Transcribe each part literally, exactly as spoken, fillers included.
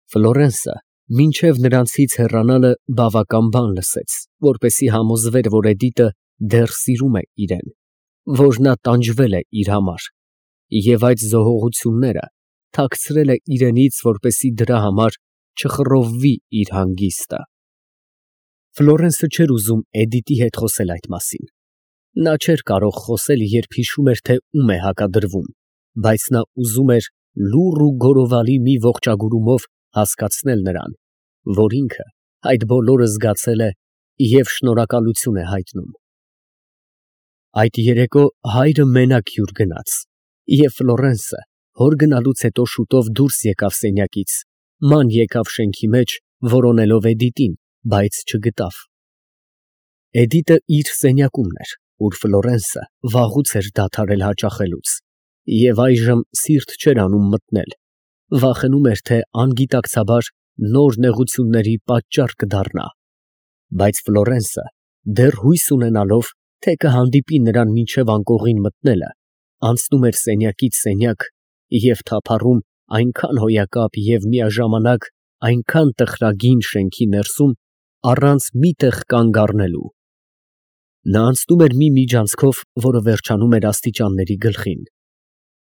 Ֆլորենսը մինչև նրանցից հեռանալը բավական բան լսեց, որպեսզի համոզվեր, որ Էդիտը դեռ սիրում է իրան, որ նա տանջվել է իր համար և այդ զոհողությունները թաքցրել է իրենից, որպեսզի դրա համար չխռովվի իր հանգիստը։ Ֆլորենսը չէր ուզում Էդիտի հետ խոսել այդ մասին։ Նա չէր կարող խոսել, երբ հիշում էր, թե ում է հակադրվում, բայց նա ուզում էր լուռ ու գորովալի մի ողջագուրումով հասկացնել նրան, որ ինքը այդ բոլորը զգացել է և շնորհակալություն է հայտնում։ Այդ երեկո հայրը մենակ հյուր գնաց, և Ֆլորենսը հոր գնալուց հետո շուտով դուրս եկավ սենյակից, ման եկավ շենքի մեջ, որոնելով Էդիտին, բայց չգտավ։ Էդիտը իր սենյակումն էր, ուր Ֆլորենսը վաղուց էր դադարել հաճախելուց, և այժմ սիրտ չէր անում մտնել, վախենում էր, թե անգիտակցաբար նոր նեղությունների պատճառ կդառնա, բայց Ֆլորենսը դեռ հույս ունենալով, թե կհանդիպի նրան մինչև անկողին մտնելը, անցնում էր սենյակից սենյակ և թափառում այնքան հոյակապ և միաժամանակ այնքան տխրագին շենքի ներսում, առանց մի տեղ կանգ առնելու։ Նա անցնում էր մի միջանցքով, որը վերջանում էր աստիճանների գլխին։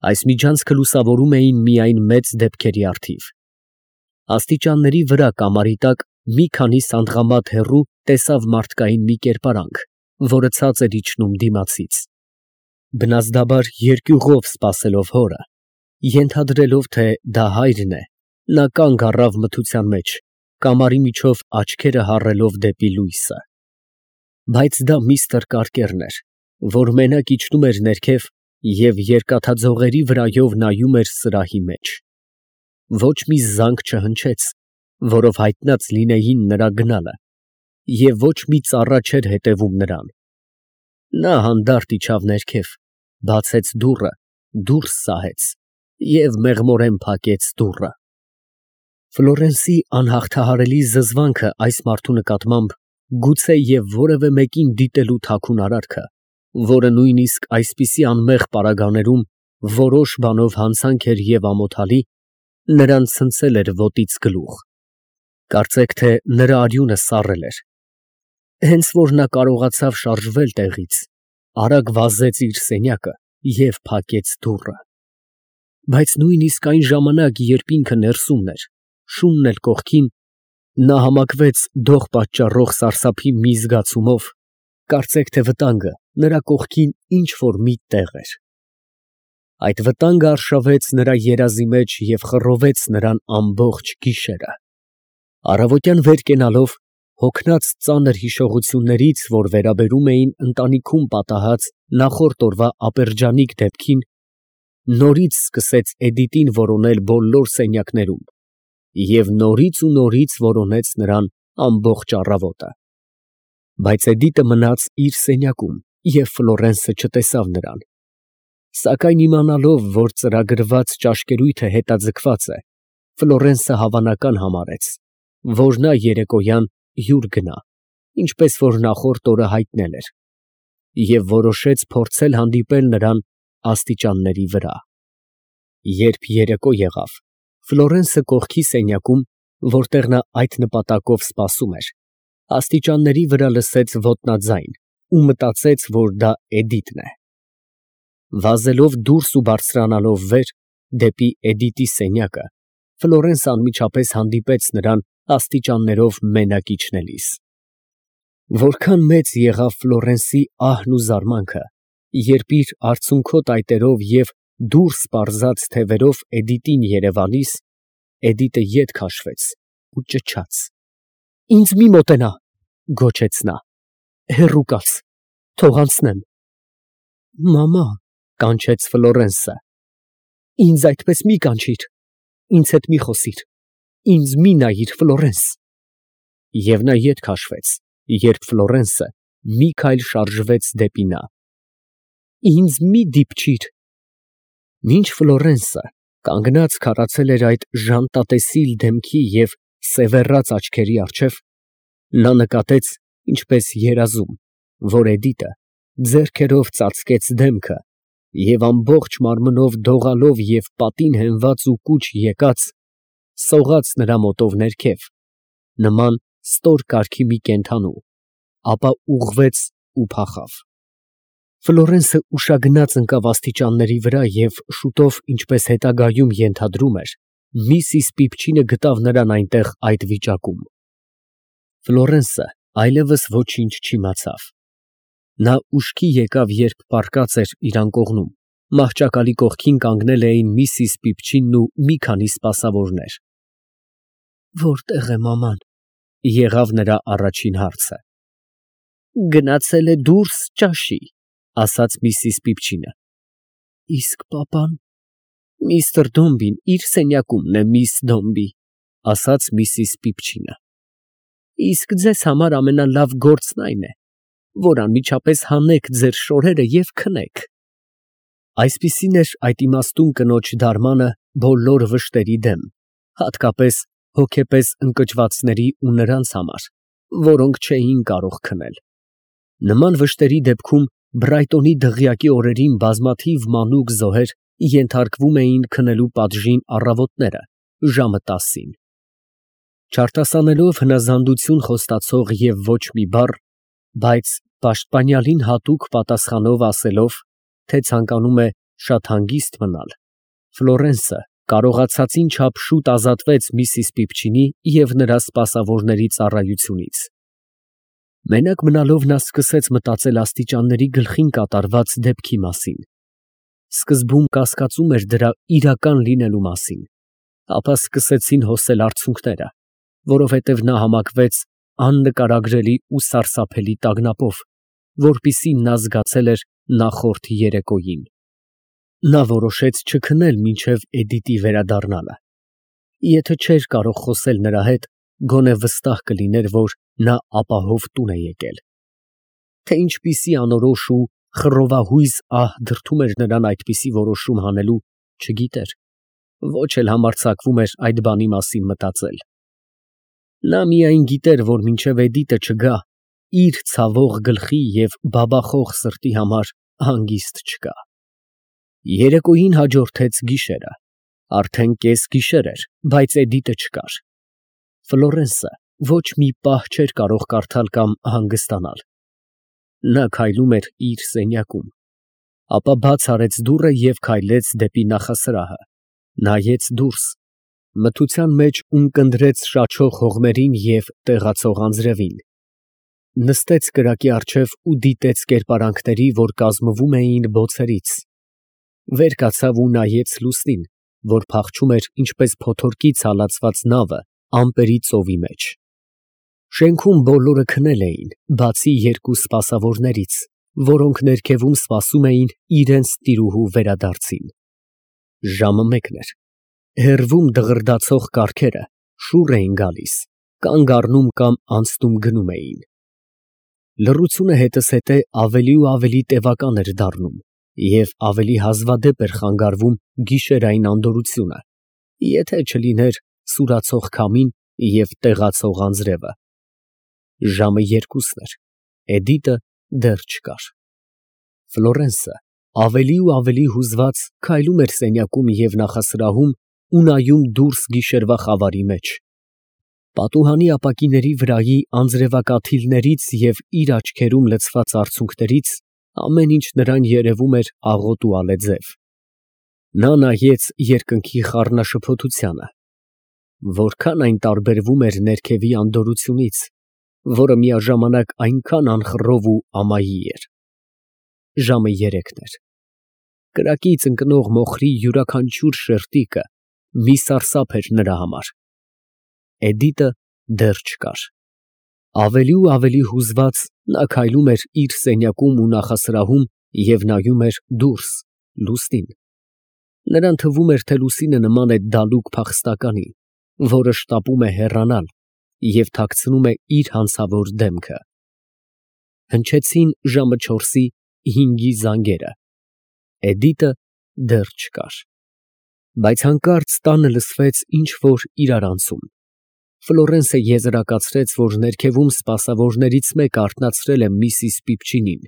Այս միջանցքը լուսավորում էին միայն մեծ դեպքերի առթիվ։ Աստիճանների վրա կամարի տակ մի քանի սանդղամատ հեռու տեսավ մարդկային մի կերպարանք, որը ցած էր իջնում դիմացից։ Բնազդաբար երկյուղով սպասելով հորը, ենթադրելով, թե դա հայրն է, նա կանգ առավ մթության մեջ, կամարի միջով աչքերը հառելով դեպի լույսը։ Բայց դա միստր Կարկերն էր, որ մենակ իջնում էր ներքև և երկաթաձողերի վրայով նայում էր սրահի մեջ։ Ոչ մի զանգ չհնչեց, որով հայտնած լինեին նրա գնալը, և ոչ մի ծառա չէր հետևում նրան։ Նա հանդարտ իջավ ներքև, բացեց դուռը, դուրս սահեց և մեղմորեն փակեց դուռը։ Ֆլորենսի անհաղթահարելի զզվանքը այս մարդու նկատմամբ, գուցե և որևէ մեկին դիտելու թաքուն արարքը, որը նույնիսկ այսպիսի անմեղ պարագաներում որոշ բանով հանցանք էր և ամոթալի, նրան ցնցել էր ոտից գլուխ, կարծեք թե նրա արյունը սառել էր։ Հենց որ նա կարողացավ շարժվել տեղից, արագ վազեց իր սենյակը և փակեց դուռը։ Բայց նույնիսկ այն ժամանակ, երբ ինքը ներսումն էր, շունն էլ կողքին, նա համակվեց դող պատճառող սարսափի մի զգացումով, կարծեք թե վտանգը նրա կողքին ինչ֊որ մի տեղ էր։ Այդ վտանգը արշավեց նրա երազի մեջ և խռովեց նրան ամբողջ գիշերը։ Առավոտյան վեր կենալով, հոգնած ծանր հիշողություններից, որ վերաբերում էին ընտանիքում պատահած նախորդ օրվա ապերջանիկ դեպքին, նորից սկսեց Էդիտին որոնել բոլոր սենյակներում և նորից ու նորից որոնեց նրան ամբողջ առավոտը։ Բայց Էդիտը մնաց իր սենյակում և Ֆլորենսը չտեսավ նրան։ Սակայն իմանալով, որ ծրագրված ճաշկերույթը հետաձգված է, Ֆլորենսը հավանական համարեց, որ նա երեկոյան հյուր գնա, ինչպես որ նախորդ օրը հայտնել էր, և որոշեց փորձել հանդիպել նրան աստիճանների վրա։ Երբ երեկո եղավ, Ֆլորենսը կողքի սենյակում, որտեղ նա այդ նպատակով սպասում էր, աստիճանների վրա լսեց ոտնաձայն ու մտածեց, որ դա Էդիտն է։ Վազելով դուրս ու բարձրանալով վեր, դեպի Էդիտի սենյակը, Ֆլորենսը անմիջապես հանդիպեց նրան աստիճաններով մենակ իջնելիս։ Որքան մեծ եղավ Ֆլորենսի ահն ու զարմանքը, երբ իր արցունքոտ այտերով և դուրս պարզած թևերով Էդիտին երևալիս, Էդիտը ետ քաշվեց ու ճչաց. «Ինձ մի մոտենա», գոչեց նա, «հեռու կաց, թող անցնեմ»։ «Մամա», կանչեց Ֆլորենսը, «ինձ այդպես մի կանչիր, ինձ հետ մի խոսիր, ինձ մի նայիր, Ֆլորենս»։ Եվ նա ետ քաշվեց, երբ Ֆլորենսը մի քայլ շարժվեց դեպի նա։ «Ինձ մի դիպչիր»։ Մինչ Ֆլորենսը կանգնած քարացել էր այդ ժանտատեսիլ դեմքի և սևեռած աչքերի առջև, նա նկատեց, ինչպես երազում, որ Էդիտը ձեռքերով ծածկեց դեմքը և ամբողջ մարմնով դողալով և պատին հենված ու կուչ եկած, սողաց նրա մոտով ներքև, նման ստոր կարգի մի կենդանու, ապա ուղղվեց ու փախավ։ Ֆլորենսը ուշագնաց ընկավ աստիճանների վրա և շուտով, ինչպես հետագայում ենթադրում էր, Միսիս Պիպչինը գտավ նրան այնտեղ այդ վիճակում։ Ֆլորենսը այլևս ոչինչ չիմացավ։ Նա ուշքի եկավ, երբ պառկած էր իր անկողնում, մահճակալի կողքին կանգնել էին Միսիս Պիպչինն ու մի քանի սպասավորներ։ «Որտե՞ղ է մաման», եղավ նրա առաջին հարցը։ «Գնացել է դուրս ճաշի», ասաց Միսիս Պիպչինը։ «Իսկ պապան»։ «Միստր Դոմբին իր սենյակումն է, միս Դոմբի», ասաց Միսիս Պիպչինը։ «Իսկ ձեզ համար ամենալավ գործն այն է, որ անմիջապես հանեք ձեր շորերը և քնեք»։ Այսպիսին էր այդ իմաստուն կնոջ դարմանը բոլոր վշտերի դեմ, հատկապես հոգեպես ընկճվածների ու նրանց համար, որոնք չէին կարող քնել։ Նման վշտերի դեպքում Բրայտոնի դղյակի օրերին բազմաթիվ մանուկ զոհեր ենթարկվում էին քնելու պատժին առավոտները, ժամը տասին։ Չարտասանելով հնազանդություն խոստացող և ոչ մի բառ, բայց պաշտպանյալին հատուկ պատասխանով ասելով, թե ցանկանում է շատ հանգիստ մնալ, Ֆլորենսը կարողացածին չափ շուտ ազատվեց Միսիս Պիպչինի և նրա սպասավորների ծառայությունից։ Մենակ մնալով նա սկսեց մտածել աստիճանների գլխին կատարված դեպքի մասին։ Սկզբում կասկածում էր դրա իրական լինելու մասին, ապա սկսեցին հոսել արցունքները, որովհետև նա համակվեց աննկարագրելի ու սարսափելի տագնապով, որպիսին նա զգացել էր նախորդ երեկոյին։ Նա որոշեց չքնել մինչև Էդիտի վերադառնալը։ Եթե չէր կարող խոսել նրա հետ, գոնե վստահ կլիներ, որ նա ապահով տուն է եկել։ Թե ինչպիսի անորոշ ու խռովահույզ ահ դրդում էր նրան այդպիսի որոշում հանելու, չգիտեր, ոչ էլ համարձակվում էր այդ բանի մասին մտածել։ Նա միայն գիտեր, որ մինչև Էդիտը չգա, իր ցավող գլխի և բաբախող սրտի համար հանգիստ չկա։ Երեկոյին հաջորդեց գիշերը։ Արդեն կեսգիշեր էր, բայց Էդիտը չկար։ Ֆլորենսը ոչ մի պահ չէր կարող կարդալ կամ հանգստանալ։ Նա քայլում էր իր սենյակում, ապա բաց արեց դուռը և քայլեց դեպի նախասրահը, նայեց դուրս, մթության մեջ ունկնդրեց շաչող հողմերին և տեղացող անձրևին, նստեց կրակի առջև ու դիտեց կերպարանքների, որ կազմվում էին բոցերից, վեր կացավ ու նայեց լուսնին, որ փախչում էր ինչպես փոթորկից հալածված նավը ամպերի ծովի մեջ։ Շենքում բոլորը քնել էին, բացի երկու սպասավորներից, որոնք ներքևում սպասում էին իրենց տիրուհու վերադարձին։ Ժամը մեկն էր։ Հեռվում դղրդացող կառքերը շուռ էին գալիս, կանգ առնում կամ անցնում գնում էին։ Լռությունը հետզհետե ավելի ու ավելի տևական էր դառնում և ավելի հազվադեպ էր խանգարվում գիշերային անդորրությունը, եթե չլիներ սուրացող քամին և տեղացող անձրևը։ Ժամը երկուսն էր, Էդիտը դեռ չկար։ Ֆլորենսը ավելի ու ավելի հուզված քայլում էր սենյակում և նախասրահում ու նայում դուրս գիշերվա խավարի մեջ։ Պատուհանի ապակիների վրայի անձրևակաթիլներից և իր աչքերում լցված արցունքներից ամեն ինչ նրան երևում էր աղոտ ու ալեձև։ Նա նայեց երկնքի խառնաշփոթությանը։ Որքան այն տարբերվում էր ներքևի անդորրությունից, որը միաժամանակ այնքան անխռով ու ամայի էր։ Ժամը երեքն էր։ Կրակից ընկնող մոխրի յուրաքանչյուր շերտիկը մի սարսափ էր նրա համար։ Էդիտը դեռ չկար։ Ավելի ու ավելի հուզված նա քայլում էր իր սենյակում ու նախասրահում և նայում էր դուրս, լուսնին։ Նրան թվում էր, թե լուսինը նման է դալուկ փախստականի, որը շտապում է հեռանալ և թաքցնում է իր հանցավոր դեմքը։ Հնչեցին ժամը չորսի հինգի զանգերը։ Էդիտը դեռ չկար։ Բայց հանկարծ տանը լսվեց ինչ֊որ իրարանցում։ Ֆլորենսը եզրակացրեց, որ ներքևում սպասավորներից մեկը արթնացրել է Միսիս Պիպչինին,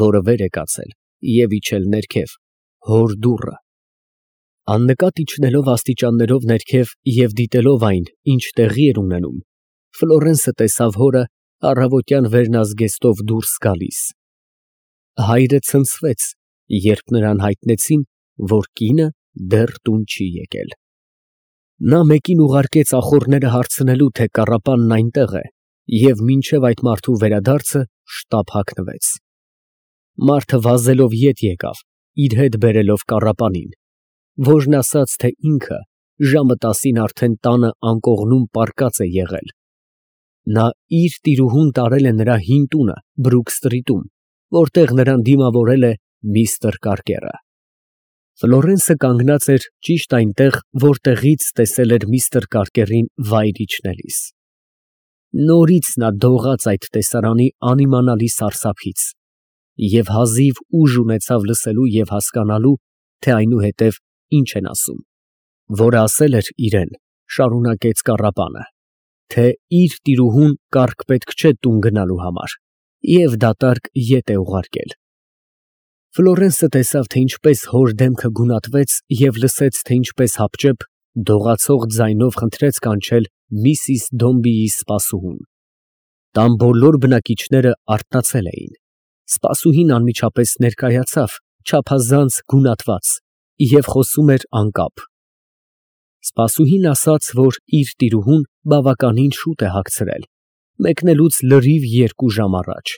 որը վեր է կացել և իջել ներքև, հոր դուռը։ Աննկատ իջնելով աստիճաններով ներքև և դիտելով այն, ինչ տեղի էր ունենում, Ֆլորենսը տեսավ հորը առավոտյան վերնազգեստով դուրս գալիս։ Հայրը ցնցվեց, երբ նրան հայտնեցին, որ կինը դեռ տուն չի եկել։ Նա մեկին ուղարկեց ախոռները հարցնելու, թե կառապանն այնտեղ է, և մինչև այդ մարդու վերադարձը շտապ հագնվեց։ Մարդը վազելով ետ եկավ, իր հետ բերելով կառապանին, որն ասաց, թե ինքը ժամը տասին արդեն տանը անկողնում պառկած է եղել։ Նա իր տիրուհուն տարել է նրա հին տունը Բրուք սթրիթում, որտեղ նրան դիմավորել է միստր Կարկերը։ Ֆլորենսը կանգնած էր ճիշտ այնտեղ, որտեղից տեսել էր միստր Կարկերին վայր իջնելիս։ Նորից նա դողաց այդ տեսարանի անիմանալի սարսափից և հազիվ ուժ ունեցավ լսելու և հասկանալու, թե այնուհետև ինչ են ասում, որը ասել էր իրեն, շարունակեց կառապանը, թե իր տիրուհուն կառք պետք չէ տուն գնալու համար և դատարկ ետ է ուղարկել։ Ֆլորենսը տեսավ, թե ինչպես հոր դեմքը գունատվեց և լսեց, թե ինչպես հապճեպ դողացող ձայնով խնդրեց կանչել միսիս Դոմբիի սպասուհուն։ Տան բոլոր բնակիչները արթնացել էին։ Սպասուհին անմիջապես ներկայացավ, չափազանց գունատված, և խոսում էր անկապ։ Սպասուհին ասաց, որ իր տիրուհուն բավականին շուտ է հագցրել, մեկնելուց լրիվ երկու ժամ առաջ,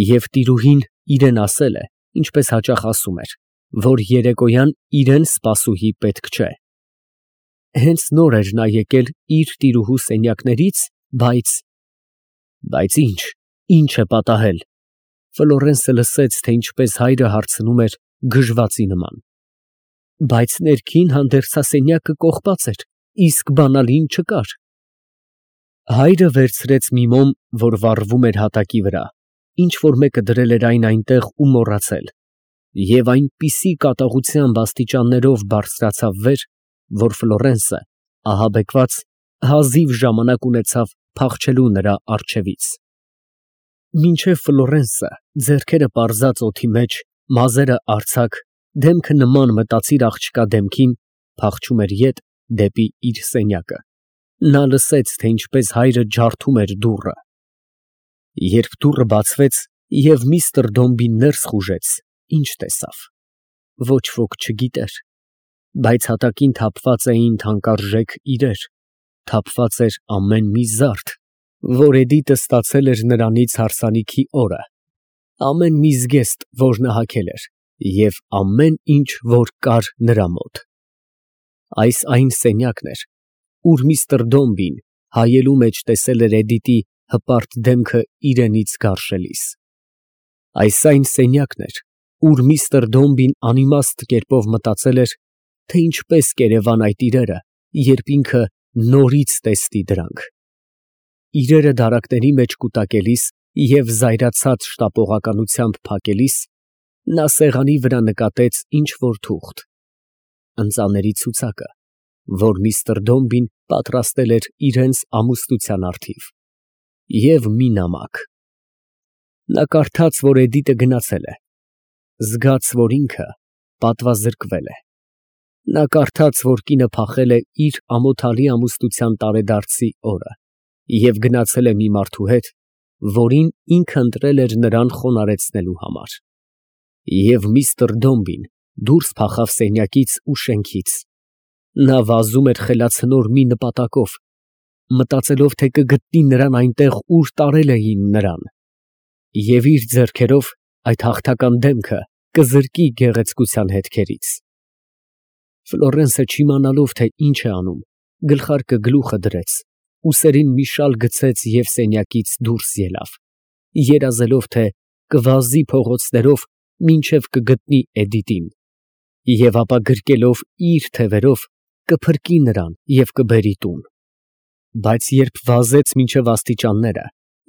և տիրուհին իրեն ասել է, ինչպես հաճախ ասում էր, որ երեկոյան իրան սպասուհի պետք չէ։ Հենց նոր էր նա եկել իր տիրուհու սենյակներից, բայց… Բայց ի՞նչ, ի՞նչ է պատահել։ Ֆլորենսը լսեց, թե ինչպես հայրը հարցնում էր գժվածի նման։ Բայց ներքին հանդերձասենյակը կողպած էր, իսկ բանալին չկար։ Հայրը վերցրեց մի մոմ, որ վառվում էր հատակի վրա, ինչ որ մեկը դրել էր այն այնտեղ ու մոռացել, և այնպիսի կատաղությամբ աստիճաններով բարձրացավ վեր, որ Ֆլորենսը, ահաբեկված, հազիվ ժամանակ ունեցավ փախչելու նրա առջևից։ Մինչև Ֆլորենսը, ձեռքերը պարզած օդի մեջ, մազերը արձակ, դեմքը նման մտածիր աղջկա դեմքին, փախչում էր ետ դեպի իր սենյակը, նա լսեց, թե ինչպես հայրը ջարդում էր դուռը։ Երբ դուռը բացվեց և միստր Դոմբին ներս խուժեց, ինչ տեսավ։ Ոչ ոք չգիտեր, բայց հատակին թափված էին թանկարժեք իրեր, թափված էր ամեն մի զարդ, որ Էդիտը ստացել էր նրանից հարսանիքի օրը, ամեն մի զգեստ, որ նա հագել էր, և ամեն ինչ, որ կար նրա մոտ։ Այս այն սենյակն էր, ուր միստր Դոմբին հայելու մեջ տեսել էր Էդիտի հպարտ դեմքը իրենից գարշելիս։ Այս այն սենյակն էր, ուր միստր Դոմբին անիմաստ կերպով մտածել էր, թե ինչպես կերևան այդ իրերը, երբ ինքը նորից տեսնի դրանք։ Իրերը դարակների մեջ կուտակելիս և զայրացած շտապողականությամբ փակելիս, նա սեղանի վրա նկատեց ինչ֊որ թուղթ, ընծաների ցուցակը, որ միստր Դոմբին պատրաստել էր իրենց ամուսնության առթիվ, և մի նամակ։ Նա կարդաց, որ Էդիտը գնացել է, զգաց, որ ինքը պատվազրկվել է։ Նա կարդաց, որ կինը փախել է իր ամոթալի ամուսնության տարեդարձի օրը և գնացել է մի մարդու հետ, որին ինքը ընտրել էր նրան խոնարհեցնելու համար։ Եվ միստր Դոմբին դուրս փախավ սենյակից ու շենքից։ Նա վազում էր խելացնոր մի նպատակով, մտածելով, թե կգտնի նրան այնտեղ, ուր տարել էին նրան, և իր ձեռքերով այդ հաղթական դեմքը կզրկի գեղեցկության հետքերից։ Ֆլորենսը, չիմանալով, թե ինչ է անում, գլխարկը գլուխը դրեց, ուսերին մի շալ գցեց և սենյակից դուրս ելավ, երազելով, թե կվազի փողոցներով, մինչև կգտնի Էդիտին, և ապա գրկելով իր թևերով, կփրկի նրան և կբերի տուն։ Բայց երբ վազեց մինչև աստիճանները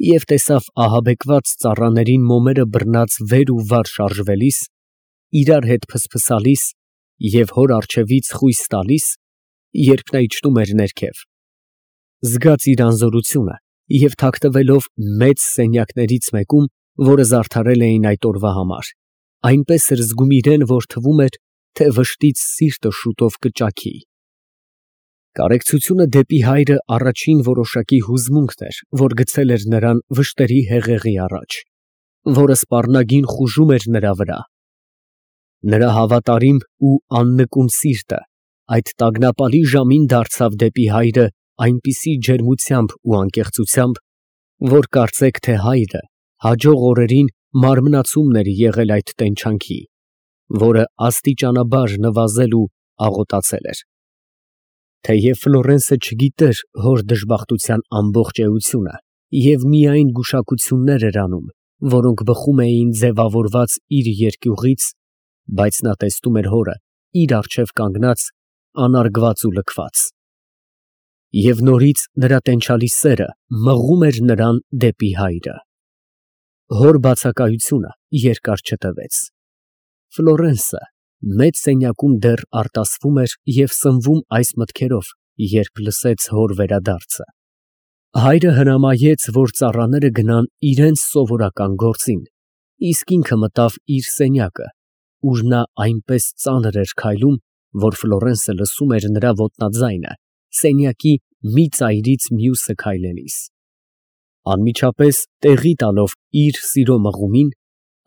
և տեսավ ահաբեկված ծառաներին մոմերը բռնած վեր ու վար շարժվելիս, իրար հետ փսփսալիս և հոր առջևից խույս տալիս, երբ նա իջնում էր ներքև, զգաց իր անզորությունը և թաքնվելով մեծ սենյակներից մեկում, որը զարդարել էին այդ օրվա համար, այնպես էր զգում իրեն, որ թվում էր, թե վշտից սիրտը շուտով կճաքի։ Կարեկցությունը դեպի հայրը առաջին որոշակի հուզմունքն էր, որ գցել էր նրան վշտերի հեղեղի առաջ, որը սպառնագին խուժում էր նրա վրա։ Նրա հավատարիմ ու աննկուն սիրտը այդ տագնապալի ժամին դարձավ դեպի հայրը այնպիսի ջերմությամբ ու անկեղծությամբ, որ կարծեք թե հայրը հաջող օրերին մարմնացումն էր եղել այդ տենչանքի, որը աստիճանաբար նվազել ու աղոտացել էր։ Թեև Ֆլորենսը չգիտեր հոր դժբախտության ամբողջ էությունը և միայն գուշակություններ էր անում, որոնք բխում էին ձևավորված իր երկյուղից, բայց նա տեսնում էր հորը իր առջև կանգնած, անարգված ու լքված։ Եվ նորից նրա տենչալի սերը մղում էր նրան դեպի հայրը։ Հոր բացակայությունը երկար չտևեց։ Ֆլորենսը մեծ սենյակում դեռ արտասվում էր և սնվում այս մտքերով, երբ լսեց հոր վերադարձը։ Հայրը հրամայեց, որ ծառաները գնան իրենց սովորական գործին, իսկ ինքը մտավ իր սենյակը, ուր նա այնպես ծանր էր քայլում, որ Ֆլորենսը լսում էր նրա ոտնաձայնը սենյակի մի ծայրից մյուսը քայլելիս։ Անմիջապես տեղի տալով իր սիրո մղումին,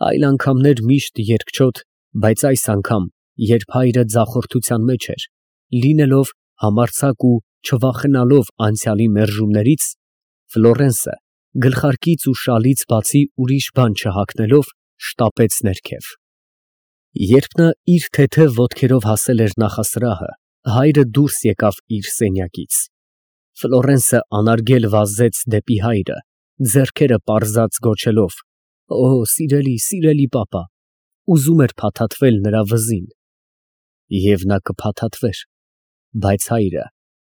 այլ անգամներ միշտ երկչոտ, բայց այս անգամ, երբ հայրը ձախորդության մեջ էր, լինելով համարձակ ու չվախենալով անցյալի մերժումներից, Ֆլորենսը գլխարկից ու շալից բացի ուրիշ բան չհագնելով, շտապեց ներքև։ Երբ նա իր թեթև ոտքերով հասել էր նախասրահը, հայրը դուրս եկավ իր սենյակից։ Ֆլորենսը անարգել վազեց դեպի հայրը, ձեռքերը պարզած գոչելով. «Օ, սիրելի, սիրելի պապա», ուզում էր փաթաթվել նրա վզին։ Եվ նա կփաթաթվեր, բայց հայրը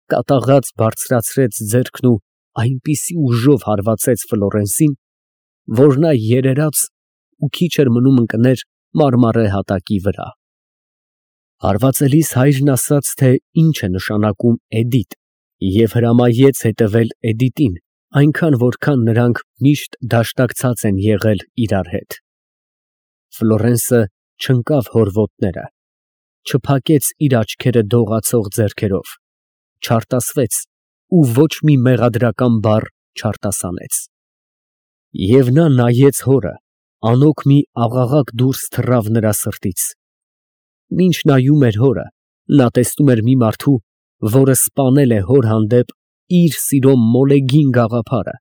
կատաղած բարձրացրեց ձեռքն ու այնպիսի ուժով հարվածեց Ֆլորենսին, որ նա երերաց ու քիչ էր մնում ընկներ մարմարե հատակի վրա։ Հարվածելիս հայրն ասաց, թե ինչ է նշանակում Էդիտ, և հրամայեց հետևել Էդիտին, այնքան որքան նրանք միշտ դաշտակցած են եղել իրար հետ։ Ֆլորենսը չընկավ հոր ոտները, չփակեց իր աչքերը դողացող ձեռքերով, չարտասվեց ու ոչ մի մեղադրական բառ չարտասանեց։ Եվ նա նայեց հորը, անօգ մի աղաղակ դուրս թռավ նրա սրտից։ Մինչ նայում էր հորը, նա տեսնում էր մի մարդու, որը սպանել է հոր հանդեպ իր սիրո մոլեգին գաղափարը,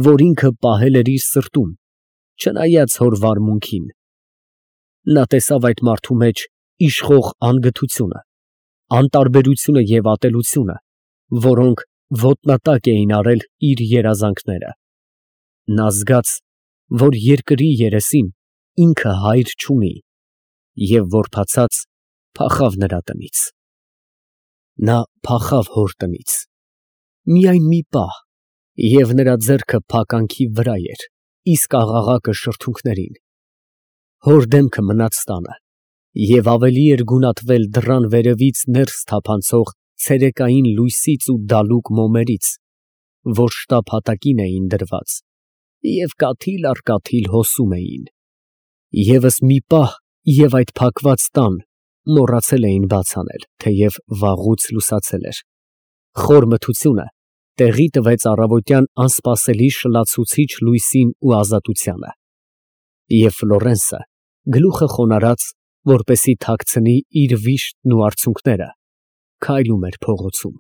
որ ինքը պահել էր իր սրտում, չնայած հոր վարմունքին։ Նա տեսավ այդ մարդու մեջ իշխող անգթությունը, անտարբերությունը և ատելությունը, որոնք ոտնատակ էին արել իր երազանքները։ Նա զգաց, որ երկրի երեսին ինքը հայր չունի, և որբացած փախավ նրա տնից։ Նա փախավ հոր տնից։ Միայն մի պահ, և նրա ձեռքը փականքի վրա էր, իսկ աղաղակը շրթունքներին։ Հոր դեմքը մնաց տանը, և ավելի էր գունատվել դռան վերևից ներս թափանցող ցերեկային լույսից ու դալուկ մոմերից, որ շտապ հատակին էին դրված և կաթիլ առ կաթիլ հոսում էին։ ԵՒս մի պահ, և այդ փակված տան մոռացել էին բաց անել, թեև վաղուց լուսացել էր։ Խոր մթությունը տեղի տվեց առավոտյան անսպասելի շլացուցիչ լույսին ու ազատությանը։ Եվ Ֆլորենսը, գլուխը խոնարհած, որպեսզի թաքցնի իր վիշտն ու արցունքները, քայլում էր փողոցում։